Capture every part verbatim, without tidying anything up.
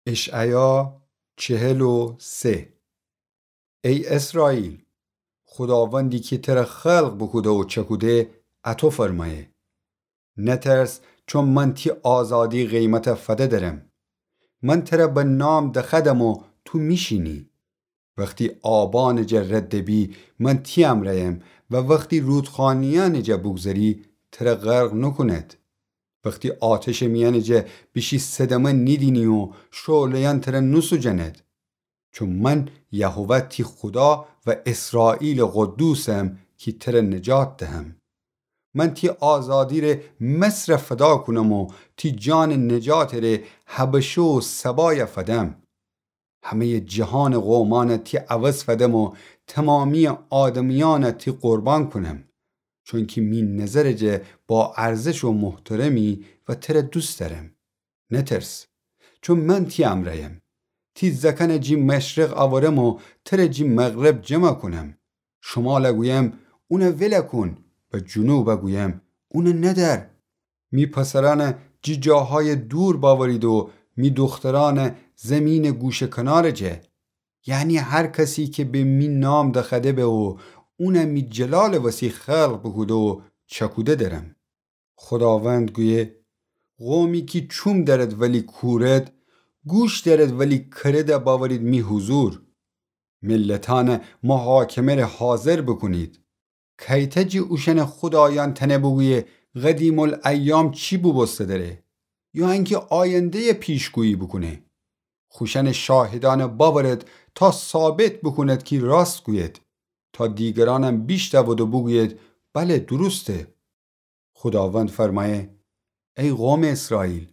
اشعیا چهل و سه. ای اسرائیل، خوداوندی کی تره خلق بوکوده و چکوده، اطو فرمأیه: نترس، چون من تی آزادی قیمت فده درم. من تره به نام دخدم و تو میشینی. وختی آبانٚ جه رد بی، من تی امرأیم و وختی رودخانه‌یأنٚ جه بوگذری، تره غرق نوکوند. وختی آتشٚ میأنٚ جه بیشی صدمه نیدینی و شعله‌یأن تره نوسوجند. چون من یهوه تی خودا و اسرائیلٚ قدوسم کی تره نجات دهم. من تی آزادی ره مصر فدا کونم و تی جانٚ نجاتٚ ره حبشه و سبای فدم. همه‌یٚ جهانٚ قومأن تی عوض فدم و تومامی‌یٚ آدمیأن تی قربان کونم، چونکی می نظرٚ جه با ارزش و محترمی و تره دوست دأرم. نترس، چون من تی امرأیم. تی زکنٚ جی مشرق اورم و تره جی مغرب جمع کونم. شمال گویم: اون ول کون، و جنوب گویم: اون ندأر. می پسرأن جی جاهای دور باورید و می دخترأن زمینٚ گوشه کنارٚ جه. یعنی هر کسی کی به می نام دخده به و اون می جلالٚ وسی خلق بوکوده و چکوده درم. خوداوند گویه: قومی کی چوم دأرد ولی کورد، گوش دأرد ولی کرد باورید می حضور. ملتأن محاکمه ره حاضر بوکونید. کیته جی اوشأنٚ خودایأن تأنه بوگویه قدیم‌الایام چی بوبوسته دره، یا انکی آینده‌یٚ پیشگویی بوکونه؟ خوشأنٚ شاهدأن باورد تا ثابت بوکوند کی راست گوید، تا دیگرأنم بیشنود و بوگوید: بله، درسته. خوداوند فرمأیه: ای قومٚ اسرائیل،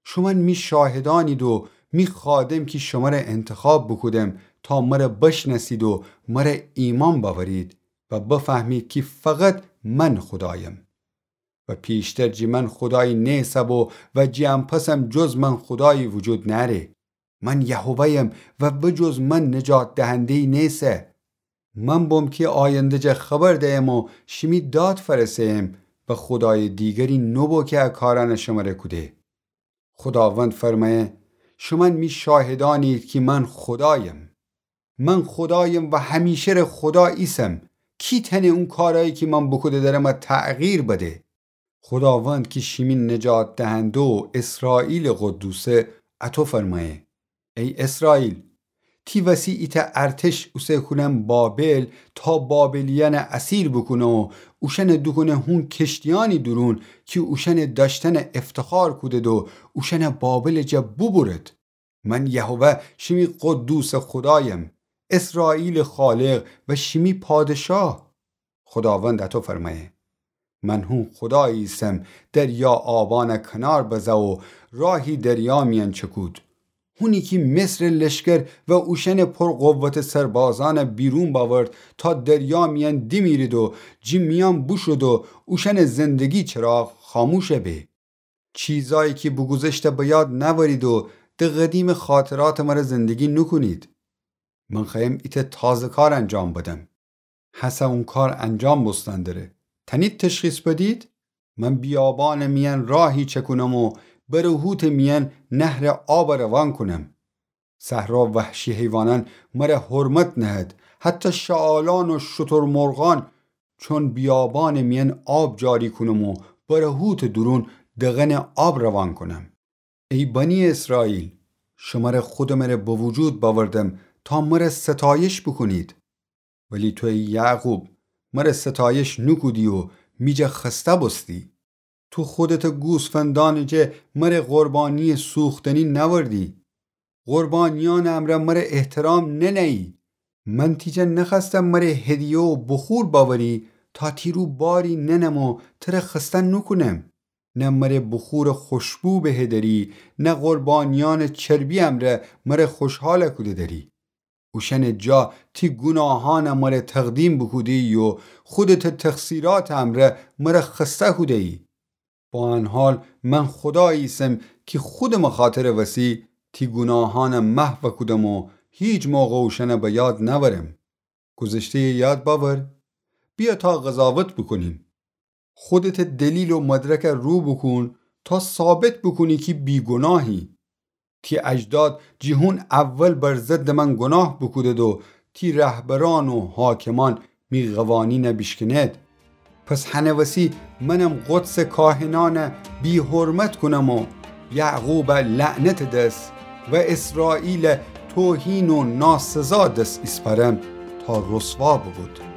شومأن می شاهدأنید و می خادم کی شمره انتخاب بوکودم تا مره بشنأسید و مره ایمأن باورید و بفهمید کی فقط من خودایم. و پیشتر جی من خودایی نیسه بو و جی ان‌پسم جز من خودایی وجود نأره. من یهوه‌یم و به جز من نجات دهنده‌یی نیسه. من بوم کی آینده جه خبر دیم و شیمی داد فرسه‌یم و خودایٚ دیگری نوبو کی ا کارأن شمره کوده. خوداوند فرمأیه: شومأن می شاهدأنید کی من خودایم. من خودایم و همیشه ره خودا ایسم. کی تأنه اون کارأیی کی من بوکوده درم تغییر بده؟ خوداوند کی شیمی نجات دهنده و اسرائیلٚ قدوسه، اطو فرمأیه: ای اسرائیل، تی وسی ایتأ ارتش اوسه کونم بابل تا بابلیأن اسیر بوکونه و اوشأن دوکونه هون کشتیأنی دورون کی اوشأن دأشتن افتخار کودد و اوشأن بابلٚ جا بوبورد. من یهوه شیمی قدوسٚ خودایم، اسرائیلٚ خالق و شیمی پادشاه. خوداوند اطو فرمأیه: من هون خودایی ایسم دریا آبأن کنار بزه و راهی دریا میأن چکود. هونی کی مصرٚ لشکر و اوشأنٚ پر قوتٚ سربازأن بیرون باورد تا دریا میأن دیمیرید و جی میأن بوشود و اوشأنٚ زندگی چراغ خاموش به. چیزایی کی بوگوذشته به یاد نأورید و د قدیمٚ خاطراتٚ مره زندگی نوکونید. من خوأیم ایتأ تازه کار انجام بدم. هسه اون کار انجام بوستن دره. تأنید تشخیص بدید؟ من بیابانٚ میأن راهی چکونم و برهوتٚ میأن نهرٚ آب روان کونم. صحرا وحشی حیوانأن مره حرمت نهد، حتی شعالأن و شترمرغأن، چون بیابانٚ میأن آب جاری کونم و برهوتٚ دورون دغنٚ آب روان کونم. ای بنی اسرائیل، شمره خودٚ مره به وجود بأوردم تا مره ستایش بوکونید. ولی تو ای یعقوب، مره ستایش نوکودی و می جا خسته بوستی. تو خودتٚ گوسفندأنٚ جا مره قربانییٚ سوختنی نأوردی. قربانیأنٚ امرأ مره احترام ننهیی. من تی جا نخوأستم مره هدیه و بخور بأوری تا تی رو باری ننم و تره خسته نوکونم. نه مره بخورٚ خوشبو بههدری، نه قربانیأنٚ چربی امرأ مره خوشحال کوده دری. اوشأنٚ جا تی گوناهأن مره تقدیم بوکودهیی و خودتٚ تقصیراتٚ امرأ مره خسته کودهیی. با ان حال من خودایی ایسم کی خودٚمٚ خاطرٚ وسی تی گوناهأن محو کودم و هیچ موقع اوشأن به یاد نأورم. گذشتهیٚ یاد بأور. بیا تا قضاوت بوکونیم. خودتٚ دلیل و مدرک رو بوکون تا ثابت بوکونی کی بیگوناهی. تی اجداد جٚه هون اول بر ضدٚ من گناه بوکودید و تی رهبرأن و حاکمأن می قوانین بیشکنید. پس هنٚ وسی منم قدسٚ کاهنأن بی‌حرمت کونم و یعقوب لعنتٚ دس و اسرائیل توهین و ناسزا دس ایسپارم تا رسوا بوبود.